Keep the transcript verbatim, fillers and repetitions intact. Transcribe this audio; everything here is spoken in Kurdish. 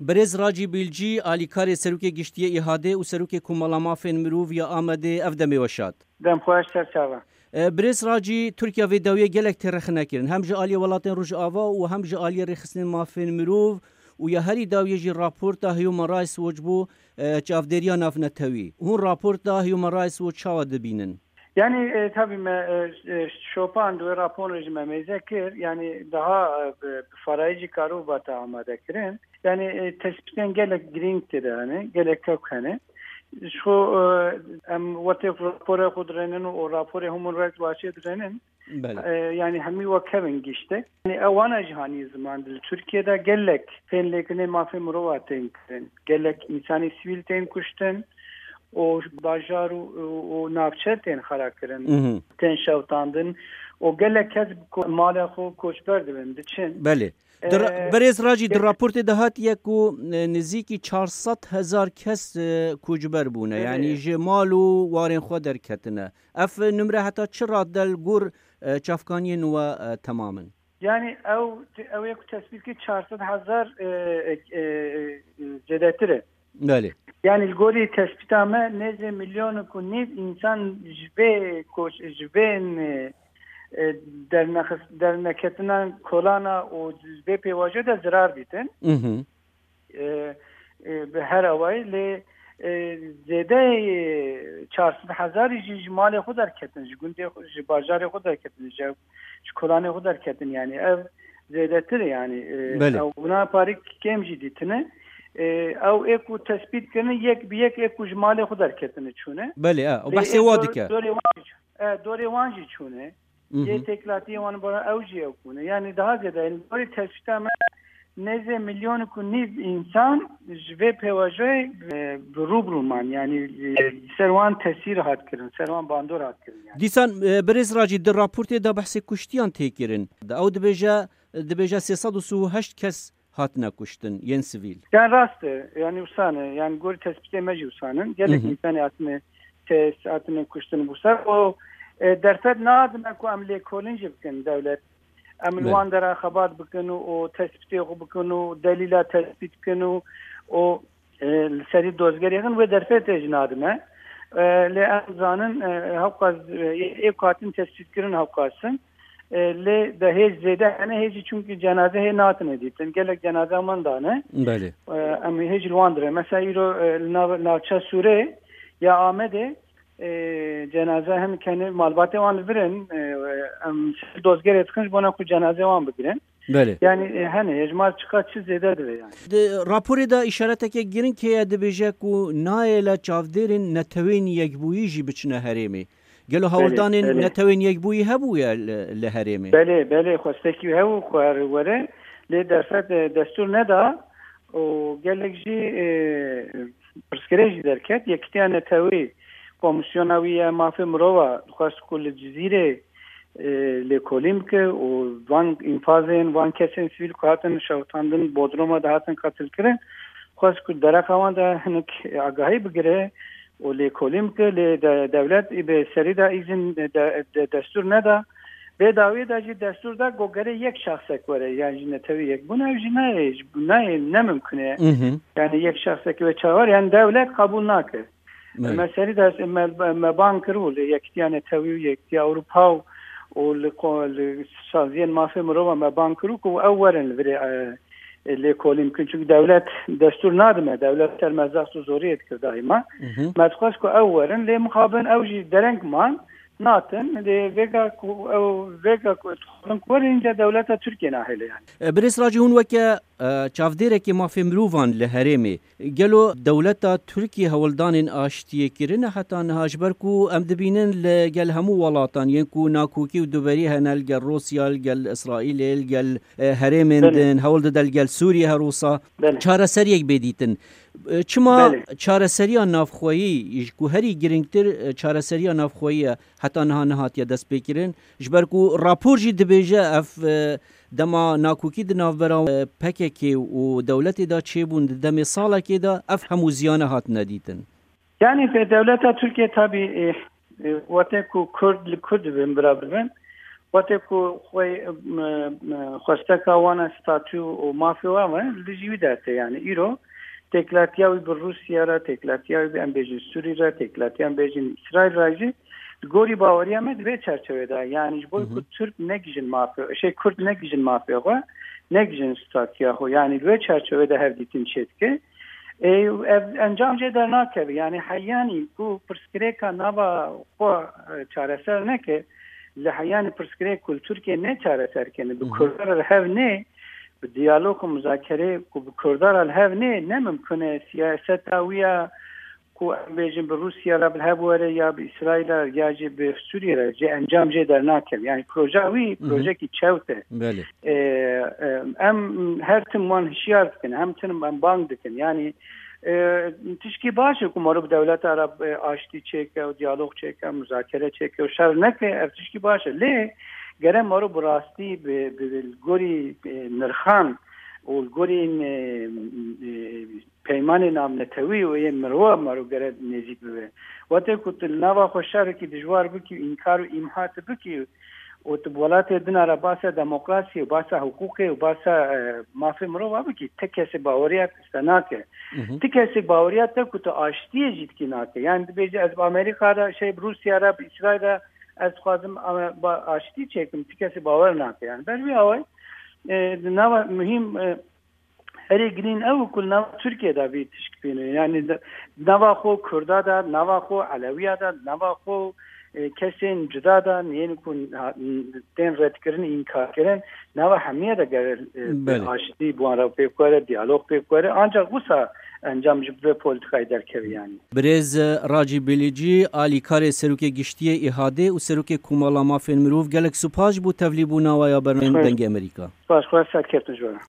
Birêz Racî Bîlcî, alîkarê Serokê Giştî yê Îhadê û Serokê Komela Mafên Mirov ya Amedê, ev demê we şad. Dem xweş, ser çava. E, Birêz Racî, Tirkiye vê dawiyê gelek tê rexne kirin. Hem ji aliyê welatên Rojava û hem ji aliyê rêxistinên mafên mirov û ya herî dawiyê jî raporta Human Rights Watch bû, e, çavdêriya navnetewî. Hûn raporta Human Rights Watch çawa dibînin? Yani, e, tabii me, e, e, şopan di wê raporê jî me mêze kir. Yani daha, e, bi, bi farayî jî karû bata amade kirin. Yani, e, tespîtên gelek girîng tê de hene, gelek kewk hene. Ji xwe, e, em wextê raporê xwe dirênin û raporê Human Rights Watchê dirênin. Belê. E, yani hemî wek hev in giştek. Yani ewana jî hanî ziman li Tirkiye de gelek tên lêkirinê mafê mirova tên kirin. Gelek însanê sivîl tên kuştin û bajar û, û, û navçe tên xera kirin, Mhm. tên şewtandin û gelek kes bi ko-, malê xwe koçber dibin, diçin. Belê. Di ra-, E, Birêz Racî, di gelek raportê de hatiye ku, e, nizîkî çar sed hezar kes, e, koçber bûne. Belê. Yani ji mal û warên xwe derketine. Ev nimre heta çi rad e li gor, e, çavkaniyên we, e, temam in? Yani ew, ew yek tespît kir çar sed hezar, e, e, e, zêdetir e. Belê. Yani li gorî tespîta me nêzê milyonek û nîv însan ji vê koç-, ji vê, e, e, dernexis-, derneketinan kolana û ji vê pêvajoyê de zirar dîtin. Mhm. E, e, bi her awayî lê, e, zêdeyê çar sed hezarî jî ji malê xwe derketin, ji gundê xwe, ji bajarê xwe derketin, ji, ji kolanê xwe derketin. Yani ev zêdetir e yani. E, Belê. Ew wina parî kêm jî dîtine. E, ew ê ku tespît kirine yek bi yek ê ku ji malê xwe derketine çûne. Belê, e, ew Lê behsê ê wa dor-, dike. Dorê wan jî, e, dorê wan jî çûne. Mhm. Yê têkilatiyê wan bara ew jî ew bûne. Yani daha zêde, yani, li gorî tespîta me nêzê milyonek û nîv însan ji vê pêvajoyê, e, bi rû bi rû man. Yani, e, ser wan tesîr hat kirin, ser wan bandor hat kirin yani. Dîsan, e, Birêz Racî, di raportê de behsê kuştiyan tê kirin. Ew dibêje, dibêje sê sed û sî û heşt kes hatine kuştin, yên sivîl. Yani rast e, yani wisa ne, yani gorî tespîtê me jî wisa ne. Gelek Mhm. însanê hatine test, hatine kuştin wisa. O, e, derfet nadime ku em lêkolîn jî bikin dewlet. Em li Belê. wan dera xebat bikin û, û tespîtê xwe bikin û delîla tespît bikin û, û, e, li serî dozgerê xin wê derfetê jî nadime. E, lê em zanin, e, hewqas, e, ê ku hatin tespît kirin hewqas in. E, lê de hêj zêde hene, hêjî çunkî cenaze hê natine dîtin. Gelek cenaze manda ne. Belê. E, em hêj li wan dire. Mesela îro, e, li nav-, navça Sûrê ya Amedê, e, cenaze hin kene malbatê wan li vir in. E, em dozgerê dikin ji bona ku cenaze wan bigirin. Belê. Yani, e, hene hêjmar çiqa çi zêde dibe yani. Di raporê de îşareteke giring heye, dibêje ku nayê le çavdêrên Netewên Yekbûyî jî biçine herêmê. Gelo Belê, hewldanên belê. Netewên Yekbûyî hebûye li, li herêmê? Belê, belê, xwestekî hew û xwar were, lê derfet, e, destûr neda û gelek jî, e, pirsgirêk jî derket. Yekîtiya Netewî Komîsyona wî ya Mafê Mirova xwest ku li Cizîrê, e, lêkolîn bike û van înfazên van kesên sivîl ku hatin şewitandin, bodruma de hatin qetilkirin, xwest ku dereqa wan de hinek agahî bigire û lêkolîn bike, lê de, dewlet ê bi serî de îzin de, de, destûr neda. Vê dawiyê de jî destûr da ku gere yek şexsek were, yan jî Netewî Yekbûn, ew jî nayê, ji, nayê, ne mimkun e. Mhm. Yani yek şexsek wê çawa, yani dewlet qebûl nake. Evet. Me serî de me, me, me bang kiribû li Yekîtiya Netewî û Yekîtiya Ewropa û, û li ko-, li saziyên mafê mirova me bang kiribû ku ew werin li virê, e, e, lêkolîn bikin. Çünkü dewlet destûr nadime, dewlet ser me zext û zoriyê dikir daîma. Mhm. Me dixwest ku ew werin, lê mixabin ew jî dereng man, natin, lê vêga ku ew, vêga ku dixwazin ku werin, înca dewleta Tirkiye nahêle yani. E, Birêz Racî, hûn weke, e, çavdêrekê mafê mirovan li herêmê, gelo dewleta Tirkiye hewldanên aştiyê kirine heta niha? Ji ber ku em dibînin li gel hemû welatan yên ku nakokî û duberî hene, li gel Rûsya, li gel Îsraîlê, li gel, e, herêmên Belê. din, hewl dide li gel Sûriyê her wisa Belê. çareseriyek bê dîtin. E, çima Belê. çareseriya navxweyî, ji ku herî girîngtir, e, çareseriya navxweyî ye, heta niha nehatiye destpêkirin? Ji ber ku rapor jî dibêje ev, e, dema nakokî di navbera, e, P K K û dewletê de çêbûn di demê salekê de, ev hemû ziyane hatine dîtin. Yani, e, dewleta Tirkiye tabii, e, e, wate ku Kurd li Kurd dibin, bira bibin, Wextê ku xwe, m, m, xwesteka wan e statû û mafê wan e, li dijî wî dertê, yani îro têkilatiya wî bi Rûsya re, têkilatiya wî bi, em bêjin, Sûrî re, têkilatiya em bêjin Îsraîl re jî, di gorî baweriya me di vê çerçevê de, yani ji bo Hı hı. ku Tirk negijin mafê, şey, Kurd negijin mafê xwe, negijin statûya xwe, yani li vê çerçevê de hevdîtin çêdike. Ê, ev encam jê dernakeve. Yani heyanî ku pirsgirêka nava xwe, e, çareser neke, li heyanî pirsgirêk ku li Tirkiye ne çareser kene, bi Hı hı. Kurdan re li hev nê, bi diyalog û muzakerê ku bi Kurdan re li hev nê, ne mimkun e. Siyaseta wî ya ku em bêjin bi Rûsya re bi hev were ya bi Îsraîl re ya jî bi Sûriyê re, jê encam jê dernakeve. Yani proja wî Hı hı. projekî çewt e. Belê. E, e, em her tim wan hişyar dikin, hem tim em bang dikin. Yani, e, tişkî baş e ku meriv dewleta re, e, aştî çêke û diyalog çêke, muzakere çêke û şer neke, ev tişkî baş e. Lê gere meriv bi rastî bi, bi, bi gorî, e, nirxan û li gorî, e, e, peymanê navnetewî û yê mirova meriv gere nêzîk bibe. Wextê ku tu li nava xwe şerekî dijwar bikî û înkar û îmha tu bikî, û tu bi welatê din re basa demokrasiyê û basa hiqûqê û basa, e, mafê mirova bikî, ti kesê baweriya te nake. Mhm. Ti kesê baweriya te ku tu aştiyê jî dikî nake. Yani dibêje, ez bi Amerîka re, şey, bi Rûsya re, bi Îsraîl re ez dixwazim, e, ba-, aştî çêkim, ti kesê bawer nake. Yani ber vî awayî, e, di nava muhîm, e, herî girîng ew ku li nava Tirkiye de vî tişk bîne. Yani di nava xwe Kurda de, nava xwe Elewiya de, nava xwe, e, kesên cuda de, yên ku ha-, tên redkirin, înkarkirin, nava hemiye de gere, e, Belê. aştî bi wan re pêk were, diyalog pêk were. Ancak wisa encam ji vê politikayê derkeve yani. Birêz Racî Bilîcî, alîkarê Serokê Giştî yê Îhadê û Serokê Komala Mafên Mirov, gelek spas ji bo tevlîbûna we ya bernameyên Xwest. Dengê Amerîka. Spas, xwest, serkeftin ji we re.